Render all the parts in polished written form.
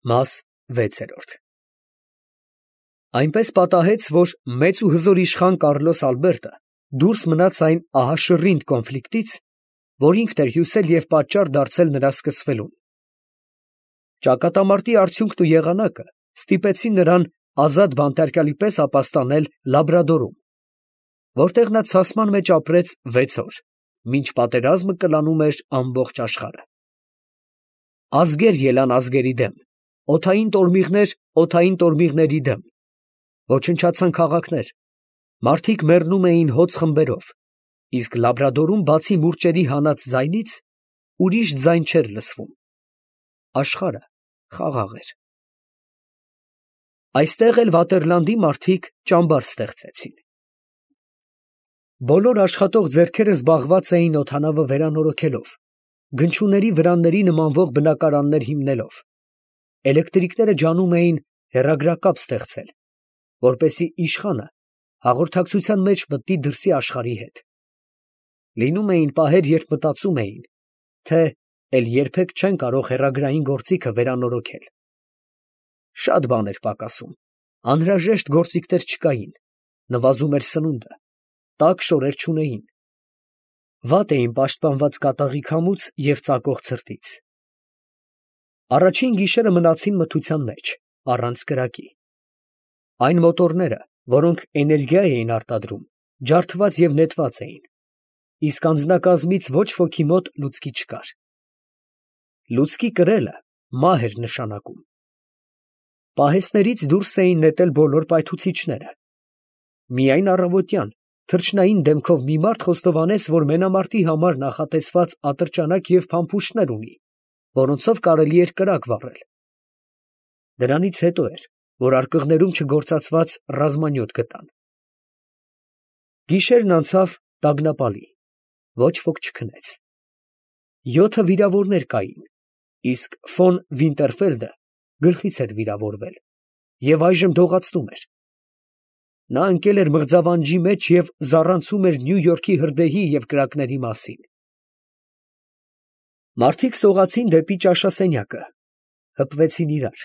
Մաս 6 Այնպես պատահեց, որ մեծ ու հզոր իշխան Կարլոս Ալբերտը դուրս մնաց այն ահաշռինդ կոնֆլիկտից, որ ինքն էր հյուսել և պատճառ դարձել նրա սկսվելուն։ Ճակատամարտի արդյունքն ու եղանակը ստիպեցին նրան ազատ բանտարկյալի պես ապաստանել Լաբրադորում, որտեղ նա ցասման մեջ ապրեց 6 օր, մինչ պատերազմը կլանում էր ամբողջ աշխարհը։ Ազգեր ելան ազգերի դեմ, օդային տորմիղներ օդային տորմիղների դեմ, ոչնչացան քաղաքներ, մարդիկ մեռնում էին հոծ խմբերով, իսկ Լաբրադորում բացի մուրճերի հանած ձայնից, ուրիշ ձայն չէր լսվում։ Աշխարհը խաղաղ էր։ Այստեղ էլ Վատերլանդի մարդիկ ճամբար ստեղծեցին։ Բոլոր աշխատող ձեռքերը զբաղված էին օդանավը վերանորոգելով, գնչուների վրանների նմանվող բնակարաններ հիմնելով, էլեկտրիկները ջանում էին հեռագրակապ ստեղծել, որպեսզի իշխանը հաղորդակցության մեջ մտնի դրսի աշխարհի հետ։ Լինում էին պահեր, երբ մտածում էին, թե էլ երբեք չեն կարող հեռագրային գործիքը վերանորոգել։ Շատ բան էր պակասում, անհրաժեշտ գործիքներ չկային, նվազում էր սնունդը, տաք շորեր չունեին։ Վատ էին պաշտպանված կատաղի քամուց և ծակող ցրտից։ Առաջին գիշերը մնացին մթության մեջ, առանց կրակի։ Այն մոտորները, որոնք էներգիա էին արտադրում, ջարդված և նետված էին, իսկ անձնակազմից ոչ ոքի մոտ լուցկի չկար։ Լուցկի կրելը մահ էր նշանակում։ Պահեստներից դուրս էին նետել բոլոր պայթուցիչները։ Միայն առավոտյան թռչնային դեմքով մի մարդ խոստովանեց, որ մենամարտի համար նախատեսված ատրճանակ և փամփուշտներ ունի, որոնցով կարելի էր կրակ վառել։ Դրանից հետո էր, որ արկղներում չգործածված ռազմանյոթ գտան։ Գիշերն անցավ տագնապալի, ոչ ոք չքնեց։ 7 վիրավորներ կային, իսկ ֆոն Վինտերֆելդը գլխից էր վիրավորվել և այժմ դողացնում էր։ Նա ընկել էր մղձավանջի մեջ և զառանցում էր Նյու Յորքի հրդեհի և կրակների մասին։ Մարդիկ սողացին դեպի ճաշասենյակը, հպվեցին իրար,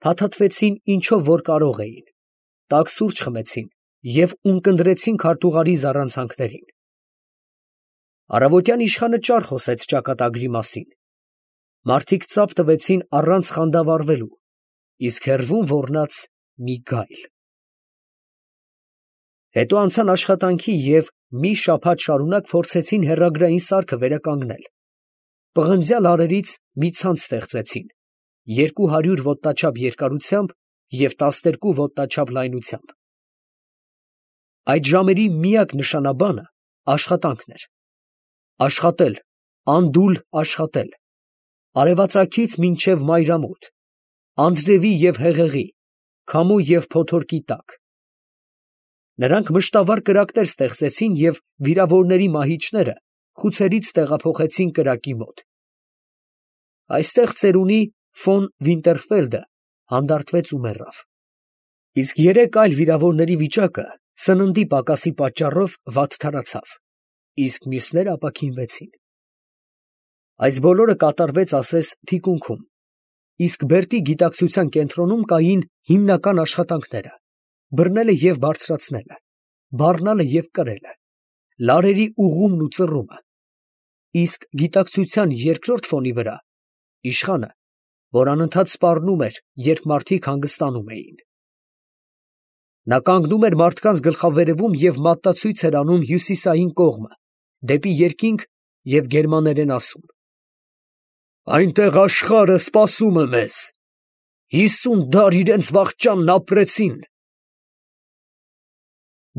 փաթաթվեցին ինչով որ կարող էին, տաք սուրճ խմեցին և ունկնդրեցին քարտուղարի զառանցանքներին։ Առավոտյան իշխանը ճար խոսեց ճակատագրի մասին։ Մարդիկ ծափ տվեցին առանց խանդավառվելու, իսկ հեռվում ոռնաց մի գայլ։ Հետո անցան աշխատանքի և մի շաբաթ շարունակ փորձեցին հեռագրային սարքը վերականգնել։ Պղնձյալ արերից մի ցանց ստեղծեցին 200 ոտնաչափ երկարությամբ և 12 ոտնաչափ լայնությամբ։ Այդ ժամերի միակ նշանաբանը աշխատանքն էր։ Աշխատել, անդուլ աշխատել, արևածագից մինչև մայրամուտ, անձրևի և հեղեղի, քամու և փոթորկի տակ։ Նրանք մշտավոր կրակներ ստեղծեցին և վիրավորների մահիճները խուցերից տեղափոխեցին կրակի մոտ։ Այստեղ ծերունի ֆոն Վինտերֆելդը հանդարտվեց ու մեռավ։ Իսկ 3 այլ վիրավորների վիճակը սննդի պակասի պատճառով վատթարացավ, իսկ մյուսները ապաքինվեցին։ Այս բոլորը կատարվեց ասես թիկունքում, իսկ Բերտի գիտակցության կենտրոնում կային հիմնական աշխատանքները՝ բռնելը և բարձրացնելը, բառնալը և կրելը, լարերի ուղղումն ու ծռումը, իսկ գիտակցության երկրորդ ֆոնի վրա իշխանը, որ անընդհատ սպառնում էր, երբ մարդիկ հանգստանում էին։ Նա կանգնում էր մարդկանց գլխավերևում և մատնացույց էր անում հյուսիսային կողմը, դեպի երկինք և գերմաներեն ասում. «Այնտեղ աշխարհը սպասում է մեզ, 50 դար իրենց վախճանն ապրեցին»։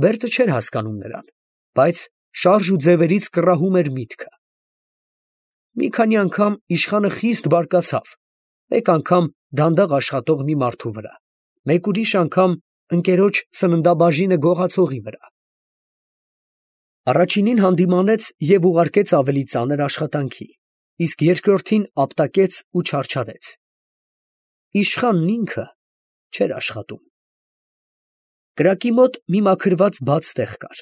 Բերտը չէր հասկանում նրան, բայց շարժ ու ձևերից կռահում էր միտքը։ Մի քանի անգամ իշխանը խիստ բարկացավ, մեկ անգամ դանդաղ աշխատող մի մարդու վրա, մեկ ուրիշ անգամ ընկերոջ սննդաբաժինը գողացողի վրա։ Առաջինին հանդիմանեց և ուղարկեց ավելի ծանր աշխատանքի, իսկ երկրորդին ապտակեց ու չարչարեց։ Իշխանն ինքը չէր աշխատում։ Կրակի մոտ մի մաքրված բաց տեղ կար,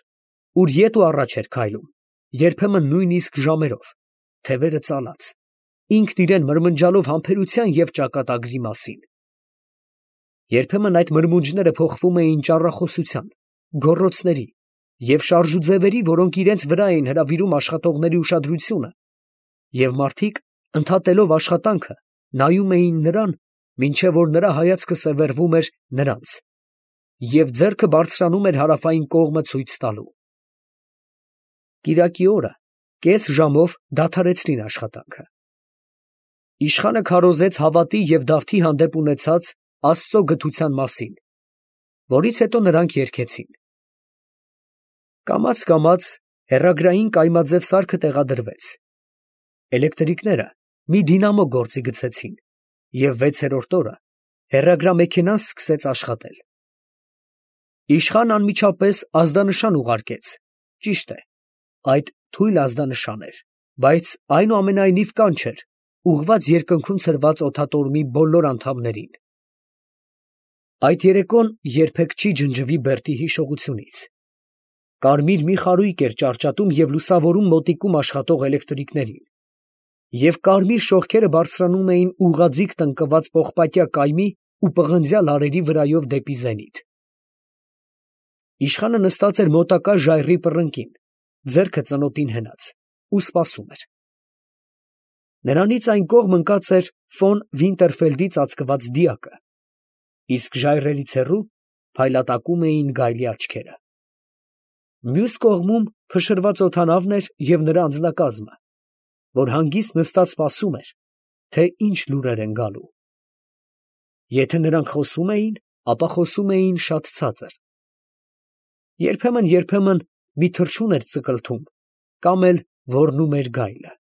ուր ետ ու առաջ էր քայլում, երբեմն նույնիսկ ժամերով, թևերը ծալած, ինքն իրան մրմնջալով համբերության և ճակատագրի մասին։ Երբեմն այդ մրմունջները փոխվում էին ճառախոսության, գոռոցների և շարժուձևերի, որոնք իրենց վրա էին հրավիրում աշխատողների ուշադրությունը, և մարդիկ, ընդհատելով աշխատանքը, նայում էին նրան, մինչև որ նրա հայացքը սևեռվում էր նրանց, և ձեռքը բարձրանում էր հարավային կողմը ցույց տալու։ Կիրակի օրը կես ժամով դադարեցրին աշխատանքը։ Իշխանը քարոզեց հավատի և դավթի հանդեպ ունեցած Աստծո գթության մասին, որից հետո նրանք երգեցին. կամաց հեռագրային կայմաձև սարքը տեղադրվեց, էլեկտրիկները մի դինամո գործի գցեցին, և 6-րդ օրը հեռագրամեքենան սկսեց աշխատել։ Իշխանն անմիջապես ազդանշան ուղարկեց, ճիշտ է, այդ թույլ ազդանշան էր, բայց այնուամենայնիվ կանչ էր, ուղղված երկնքում ցրված օդատորմի բոլոր անդամներին։ Այդ երեկոն երբեք չի ջնջվի Բերտի հիշողությունից։ Կարմիր մի խարույկ էր ճառճատում և լուսավորում մոտիկում աշխատող էլեկտրիկներին, և կարմիր շողքերը բարձրանում էին ուղղաձիգ տնկված պողպատյա կայմի ու պղնձյա լարերի վրայով դեպի զենիթ։ Իշխանը նստած էր մոտակա ժայռի պռնկին, ձեռքը ծնոտին հենած, ու սպասում էր։ Նրանից այն կողմ ընկած էր ֆոն Վինտերֆելդի ծածկված դիակը, իսկ ժայռերից հեռու փայլատակում էին գայլի աչքերը։ Մյուս կողմում փշրված օդանավն էր և նրա անձնակազմը, որ հանգիստ նստած սպասում էր, թե ինչ լուրեր են գալու։ Եթե նրանք խոսում էին, ապա խոսում էին շատ ցածր։ Երբեմն մի թռչուն էր ծկլթում, կամ էլ ոռնում էր գայլը։